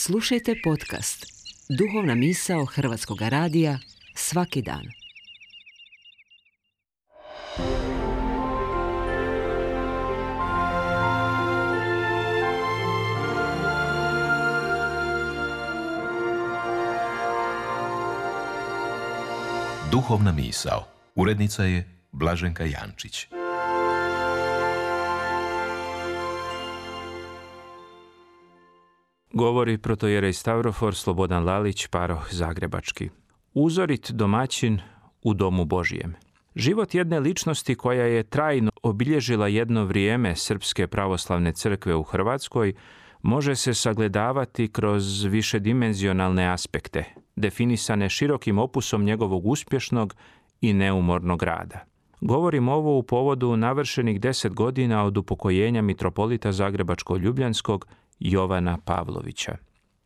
Slušajte podcast Duhovna misao Hrvatskog radija svaki dan. Duhovna misao. Urednica je Blaženka Jančić. Govori protojerej Stavrofor Slobodan Lalić, paroh zagrebački. Uzorit domaćin u domu Božijem. Život jedne ličnosti koja je trajno obilježila jedno vrijeme Srpske pravoslavne crkve u Hrvatskoj može se sagledavati kroz višedimenzionalne aspekte, definisane širokim opusom njegovog uspješnog i neumornog rada. Govorim ovo u povodu navršenih 10 godina od upokojenja mitropolita Zagrebačko-Ljubljanskog Jovana Pavlovića.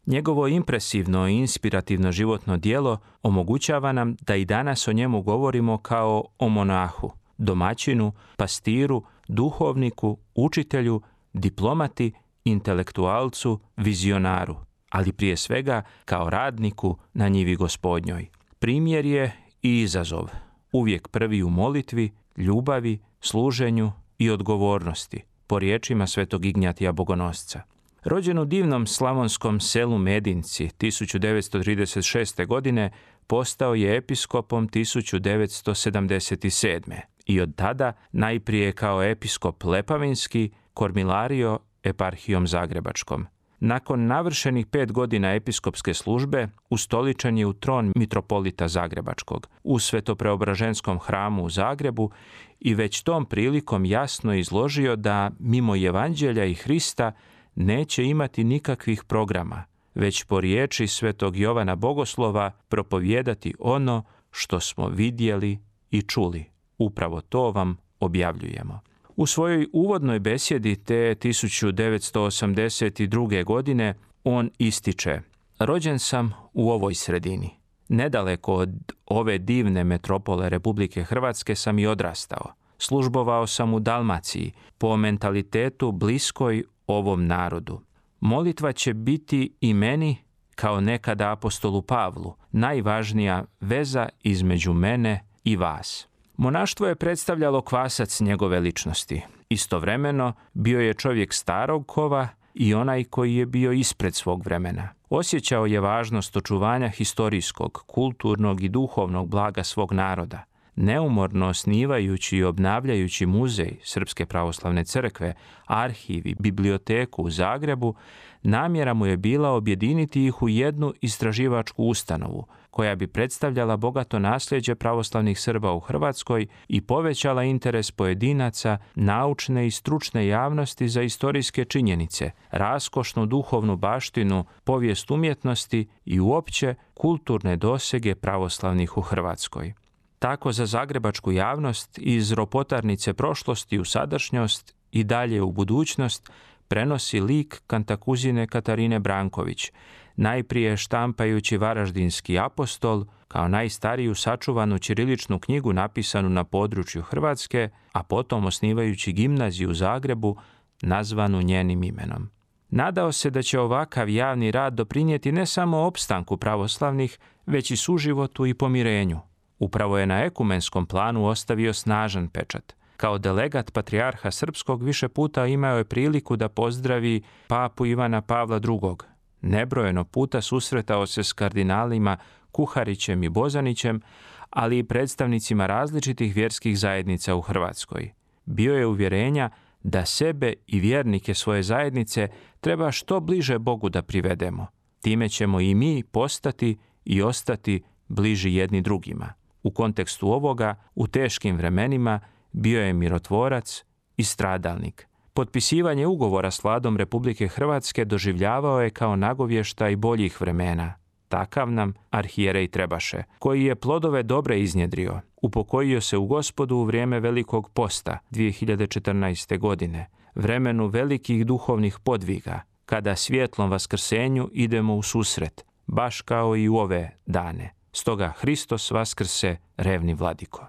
Njegovo impresivno i inspirativno životno djelo omogućava nam da i danas o njemu govorimo kao o monahu, domaćinu, pastiru, duhovniku, učitelju, diplomati, intelektualcu, vizionaru, ali prije svega kao radniku na njivi Gospodnjoj. Primjer je i izazov, uvijek prvi u molitvi, ljubavi, služenju i odgovornosti, po riječima svetog Ignjatija Bogonosca. Rođen u divnom slavonskom selu Medinci 1936. godine, postao je episkopom 1977. i od tada najprije kao episkop Lepavinski kormilario eparhijom Zagrebačkom. Nakon navršenih 5 godina episkopske službe, ustoličen je u tron mitropolita Zagrebačkog u Svetopreobraženskom hramu u Zagrebu i već tom prilikom jasno izložio da mimo Evanđelja i Hrista neće imati nikakvih programa, već po riječi svetog Jovana Bogoslova propovijedati ono što smo vidjeli i čuli. Upravo to vam objavljujemo. U svojoj uvodnoj besjedi te 1982. godine on ističe: rođen sam u ovoj sredini. Nedaleko od ove divne metropole Republike Hrvatske sam i odrastao. Službovao sam u Dalmaciji, po mentalitetu bliskoj ovom narodu. Molitva će biti i meni, kao nekada apostolu Pavlu, najvažnija veza između mene i vas. Monaštvo je predstavljalo kvasac njegove ličnosti. Istovremeno bio je čovjek starog kova i onaj koji je bio ispred svog vremena. Osjećao je važnost očuvanja historijskog, kulturnog i duhovnog blaga svog naroda. Neumorno osnivajući i obnavljajući muzej Srpske pravoslavne crkve, arhiv i biblioteku u Zagrebu, namjera mu je bila objediniti ih u jednu istraživačku ustanovu, koja bi predstavljala bogato nasljeđe pravoslavnih Srba u Hrvatskoj i povećala interes pojedinaca, naučne i stručne javnosti za istorijske činjenice, raskošnu duhovnu baštinu, povijest umjetnosti i uopće kulturne dosege pravoslavnih u Hrvatskoj. Tako za zagrebačku javnost iz ropotarnice prošlosti u sadašnjost i dalje u budućnost prenosi lik kantakuzine Katarine Branković, najprije štampajući Varaždinski apostol kao najstariju sačuvanu ćiriličnu knjigu napisanu na području Hrvatske, a potom osnivajući gimnaziju u Zagrebu nazvanu njenim imenom. Nadao se da će ovakav javni rad doprinijeti ne samo opstanku pravoslavnih, već i suživotu i pomirenju. Upravo je na ekumenskom planu ostavio snažan pečat. Kao delegat patrijarha srpskog više puta imao je priliku da pozdravi papu Ivana Pavla II. Nebrojeno puta susretao se s kardinalima Kuharićem i Bozanićem, ali i predstavnicima različitih vjerskih zajednica u Hrvatskoj. Bio je uvjerenja da sebe i vjernike svoje zajednice treba što bliže Bogu da privedemo. Time ćemo i mi postati i ostati bliži jedni drugima. U kontekstu ovoga, u teškim vremenima, bio je mirotvorac i stradalnik. Potpisivanje ugovora s vladom Republike Hrvatske doživljavao je kao nagovještaj boljih vremena. Takav nam arhijerej trebaše, koji je plodove dobre iznjedrio. Upokojio se u Gospodu u vrijeme Velikog posta 2014. godine, vremenu velikih duhovnih podviga, kada svjetlom vaskrsenju idemo u susret, baš kao i u ove dane. Stoga Hristos vaskrse, revni vladiko.